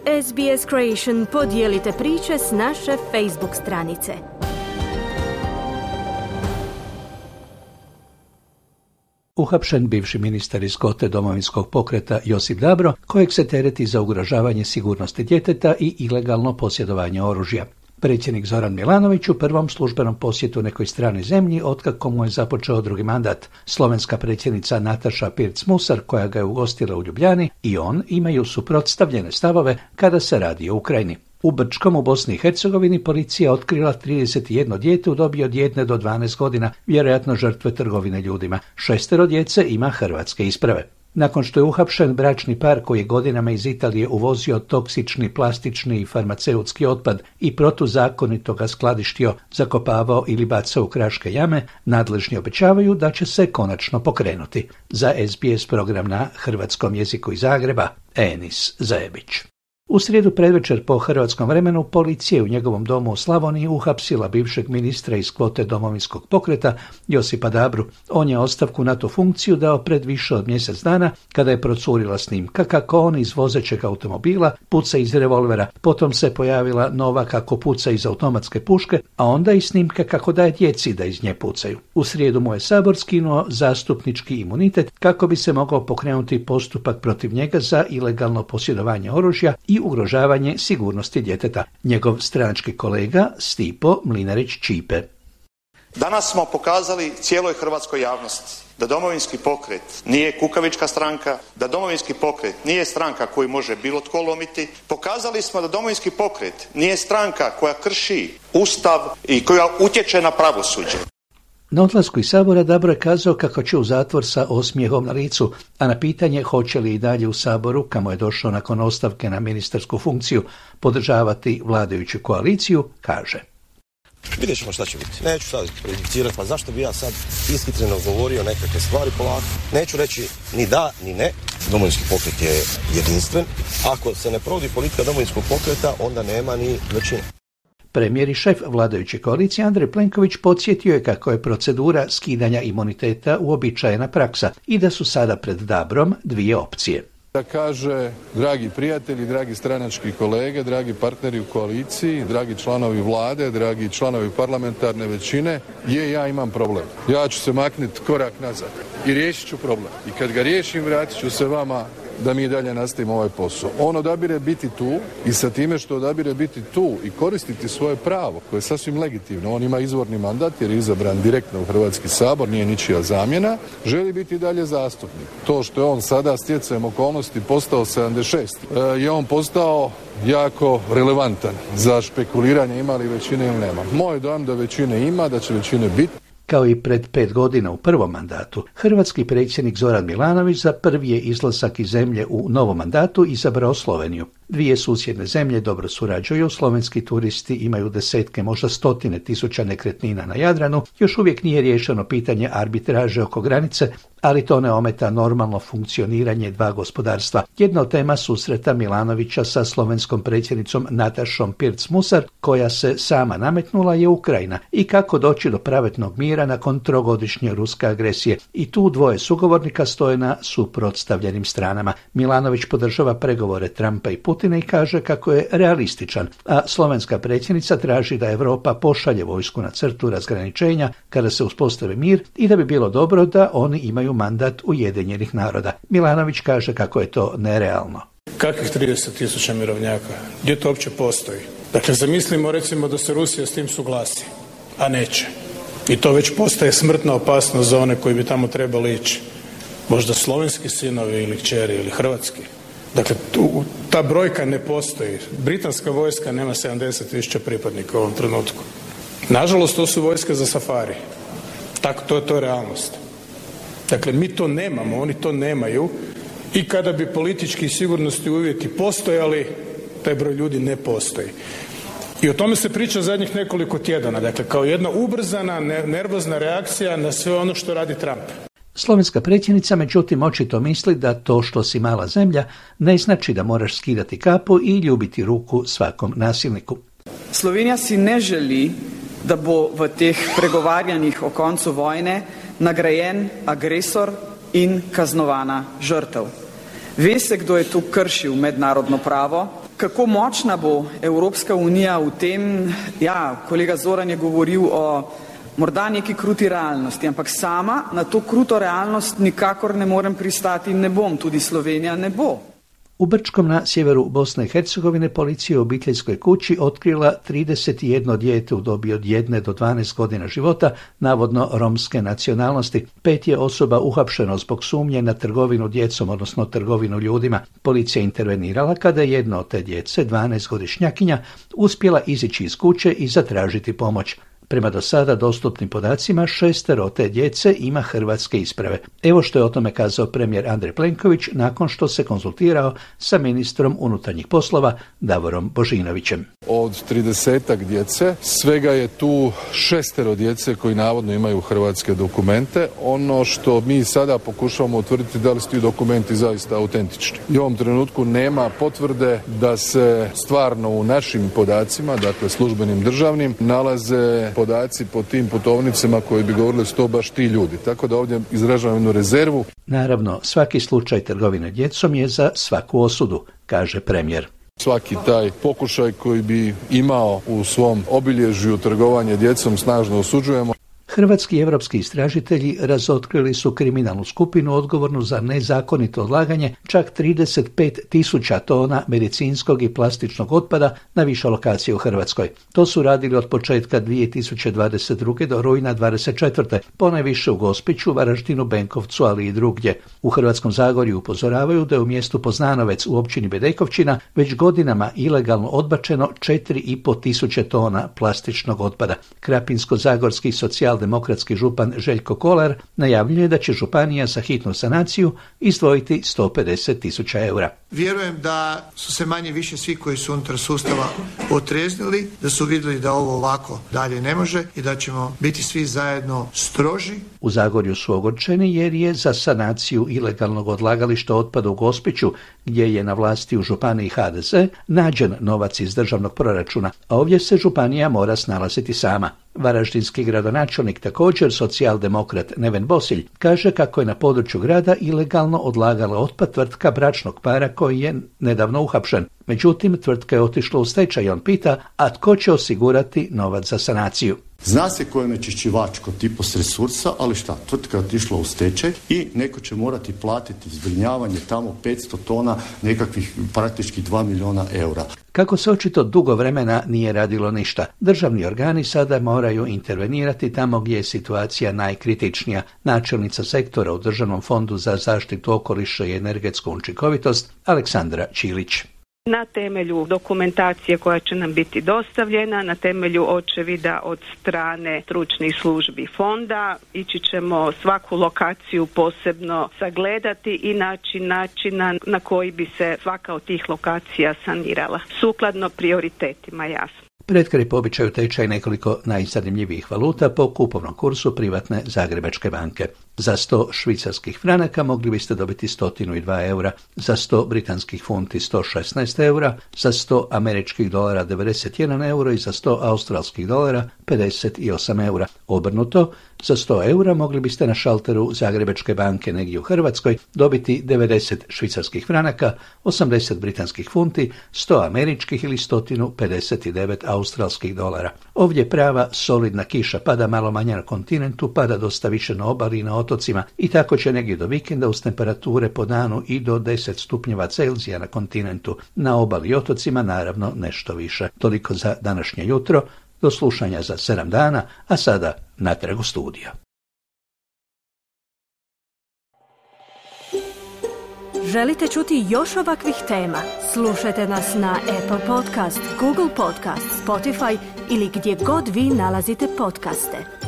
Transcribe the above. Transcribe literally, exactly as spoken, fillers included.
S B S Creation podijelite priče s naše Facebook stranice. Uhapšen bivši ministar iz kvote Domovinskog pokreta Josip Dabro, kojeg se tereti za ugrožavanje sigurnosti djeteta i ilegalno posjedovanje oružja. Predsjednik Zoran Milanović u prvom službenom posjetu nekoj stranoj zemlji otkako mu je započeo drugi mandat. Slovenska predsjednica Nataša Pirc-Musar, koja ga je ugostila u Ljubljani, i on imaju suprotstavljene stavove kada se radi o Ukrajini. U Brčkom u Bosni i Hercegovini policija otkrila trideset jedno dijete u dobi od jedne do dvanaest godina, vjerojatno žrtve trgovine ljudima. Šestero djece ima hrvatske isprave. Nakon što je uhapšen bračni par koji je godinama iz Italije uvozio toksični plastični i farmaceutski otpad i protuzakonito ga skladištio, zakopavao ili bacao u kraške jame, nadležni obećavaju da će se konačno pokrenuti. Za S B S program na hrvatskom jeziku iz Zagreba, Enis Zajebić. U srijedu predvečer po hrvatskom vremenu policija u njegovom domu u Slavoniji uhapsila bivšeg ministra iz kvote Domovinskog pokreta Josipa Dabru. On je ostavku na tu funkciju dao pred više od mjesec dana kada je procurila snimka kako on iz vozećeg automobila puca iz revolvera, potom se pojavila nova kako puca iz automatske puške, a onda i snimka kako daje djeci da iz nje pucaju. U srijedu mu je Sabor skinuo zastupnički imunitet kako bi se mogao pokrenuti postupak protiv njega za ilegalno posjedovanje oružja i ugrožavanje sigurnosti djeteta. Njegov stranački kolega Stipo Mlinarić-Ćipe. Danas smo pokazali cijeloj hrvatskoj javnosti da Domovinski pokret nije kukavička stranka, da Domovinski pokret nije stranka koju može bilo tko lomiti. Pokazali smo da Domovinski pokret nije stranka koja krši Ustav i koja utječe na pravosuđe. Na odlasku iz Sabora Dabro je kazao kako će u zatvor sa osmijehom na licu, a na pitanje hoće li i dalje u Saboru, kamo je došao nakon ostavke na ministarsku funkciju, podržavati vladajuću koaliciju, kaže. Vidjet ćemo šta će biti. Neću sad prejudicirati, pa zašto bi ja sad ishitreno govorio nekakve stvari polako. Neću reći ni da, ni ne. Domovinski pokret je jedinstven. Ako se ne provodi politika Domovinskog pokreta, onda nema ni većine. Premijer i šef vladajuće koalicije Andrej Plenković podsjetio je kako je procedura skidanja imuniteta uobičajena praksa i da su sada pred Dabrom dvije opcije. Da kaže, dragi prijatelji, dragi stranački kolege, dragi partneri u koaliciji, dragi članovi vlade, dragi članovi parlamentarne većine, je, ja imam problem. Ja ću se maknuti korak nazad i riješit ću problem. I kad ga riješim, vratit ću se vama da mi dalje nastavimo ovaj posao. On odabire biti tu i sa time što odabire biti tu i koristiti svoje pravo, koje je sasvim legitimno. On ima izvorni mandat jer je izabran direktno u Hrvatski sabor, nije ničija zamjena, želi biti dalje zastupnik. To što je on sada stjecajem okolnosti postao sedamdeset šest je on postao jako relevantan za špekuliranje ima li većine ili nema. Moj dojam da većine ima, da će većine biti. Kao i pred pet godina u prvom mandatu, hrvatski predsjednik Zoran Milanović za prvi je izlazak iz zemlje u novom mandatu izabrao Sloveniju. Dvije susjedne zemlje dobro surađuju, slovenski turisti imaju desetke, možda stotine tisuća nekretnina na Jadranu, još uvijek nije riješeno pitanje arbitraže oko granice, ali to ne ometa normalno funkcioniranje dva gospodarstva. Jedna od tema susreta Milanovića sa slovenskom predsjednicom Natašom Pirc-Musar, koja se sama nametnula, je Ukrajina i kako doći do pravednog mira nakon trogodišnje ruske agresije. I tu dvoje sugovornika stoje na suprotstavljenim stranama. Milanović podržava pregovore Trumpa i Putina i kaže kako je realističan, a slovenska predsjednica traži da Europa pošalje vojsku na crtu razgraničenja kada se uspostavi mir i da bi bilo dobro da oni imaju mandat Ujedinjenih naroda. Milanović kaže kako je to nerealno. Kakvih trideset tisuća mirovnjaka? Gdje to uopće postoji? Dakle, zamislimo recimo da se Rusija s tim suglasi, a neće. I to već postaje smrtna opasnost za one koji bi tamo trebali ići. Možda slovenski sinovi ili kćeri ili hrvatski. Dakle, tu, ta brojka ne postoji. Britanska vojska nema sedamdeset tisuća pripadnika u ovom trenutku. Nažalost, to su vojske za safari. Tako, to, to je realnost. Dakle, mi to nemamo, oni to nemaju i kada bi politički i sigurnosni uvjeti postojali, taj broj ljudi ne postoji. I o tome se priča zadnjih nekoliko tjedana, dakle, kao jedna ubrzana, nervozna reakcija na sve ono što radi Trump. Slovenska predsjednica međutim očito misli da to što si mala zemlja ne znači da moraš skidati kapu i ljubiti ruku svakom nasilniku. Slovenija si ne želi, da bo v teh pregovarjanjih o koncu vojne nagrajen agresor in kaznovana žrtev. Ve se, kdo je tu kršil mednarodno pravo, Kako močna bo Evropska unija v tem, ja, kolega Zoran je govoril o morda neki kruti realnosti, ampak sama na to kruto realnost nikakor ne morem pristati in ne bom, tudi Slovenija ne bo. U Brčkom na sjeveru Bosne i Hercegovine policija u obiteljskoj kući otkrila trideset jedno dijete u dobi od jedne do dvanaest godina života, navodno romske nacionalnosti. Pet je osoba uhapšeno zbog sumnje na trgovinu djecom, odnosno trgovinu ljudima. Policija je intervenirala kada je jedna od te djece, dvanaestogodišnjakinja, uspjela izići iz kuće i zatražiti pomoć. Prema do sada dostupnim podacima, šestero te djece ima hrvatske isprave. Evo što je o tome kazao premijer Andrej Plenković nakon što se konzultirao sa ministrom unutarnjih poslova Davorom Božinovićem. Od tridesetak djece, svega je tu šestero djece koji navodno imaju hrvatske dokumente. Ono što mi sada pokušavamo utvrditi da li su ti dokumenti zaista autentični. I u ovom trenutku nema potvrde da se stvarno u našim podacima, dakle službenim državnim, nalaze podaci po tim putovnicama koji bi govorili su to baš ti ljudi. Tako da ovdje izražavam jednu rezervu. Naravno, svaki slučaj trgovine djecom je za svaku osudu, kaže premijer. Svaki taj pokušaj koji bi imao u svom obilježju trgovanje djecom snažno osuđujemo. Hrvatski i evropski istražitelji razotkrili su kriminalnu skupinu odgovornu za nezakonito odlaganje čak trideset pet tisuća tona medicinskog i plastičnog otpada na više lokacije u Hrvatskoj. To su radili od početka dvije tisuće dvadeset druge do rujna dvadeset četvrte ponajviše u Gospiću, Varaždinu, Benkovcu, ali i drugdje. U Hrvatskom Zagorju upozoravaju da je u mjestu Poznanovec u općini Bedekovčina već godinama ilegalno odbačeno četiri i pol tisuće tona plastičnog otpada. Krapinsko-zagorski socijal demokratski župan Željko Kolar najavljuje da će županija za hitnu sanaciju izdvojiti sto pedeset tisuća eura. Vjerujem da su se manje više svi koji su unutar sustava otreznili, da su vidjeli da ovo ovako dalje ne može i da ćemo biti svi zajedno stroži. U Zagorju su ogorčeni jer je za sanaciju ilegalnog odlagališta otpada u Gospiću, gdje je na vlasti u županiji ha de ze, nađen novac iz državnog proračuna, a ovdje se županija mora snalaziti sama. Varaždinski gradonačelnik, također socijaldemokrat Neven Bosilj, kaže kako je na području grada ilegalno odlagala otpad tvrtka bračnog para koji je nedavno uhapšen. Međutim, tvrtka je otišla u stečaj i on pita, a tko će osigurati novac za sanaciju? Zna se ko je onečišćivač kod tipos resursa, ali šta, tvrtka je otišla u stečaj i neko će morati platiti zbrinjavanje tamo petsto tona, nekakvih praktički dva milijuna eura. Kako se očito dugo vremena nije radilo ništa, državni organi sada moraju intervenirati tamo gdje je situacija najkritičnija. Načelnica sektora u Državnom fondu za zaštitu okoliša i energetsku učinkovitost Aleksandra Čilić. Na temelju dokumentacije koja će nam biti dostavljena, na temelju očevida od strane stručnih službi fonda, ići ćemo svaku lokaciju posebno sagledati i naći načina na koji bi se svaka od tih lokacija sanirala. Sukladno prioritetima, jasno. Pred kraj po običaju tečaj nekoliko najzanimljivijih valuta po kupovnom kursu privatne Zagrebačke banke. Za sto švicarskih franaka mogli biste dobiti sto dva eura, za sto britanskih funti sto šesnaest eura, za sto američkih dolara devedeset jedan euro i za sto australskih dolara pedeset osam eura. Obrnuto, za sto eura mogli biste na šalteru Zagrebačke banke negdje u Hrvatskoj dobiti devedeset švicarskih franaka, osamdeset britanskih funti, sto američkih ili sto pedeset devet australskih dolara. Ovdje prava solidna kiša, pada malo manje na kontinentu, pada dosta više na obali i na otocima i tako će negdje do vikenda uz temperature po danu i do deset stupnjeva Celzija na kontinentu. Na obali i otocima naravno nešto više. Toliko za današnje jutro, do slušanja za sedam dana, a sada natrag u studio. Želite čuti još ovakvih tema? Slušajte nas na Apple Podcast, Google Podcast, Spotify ili gdje god vi nalazite podcaste.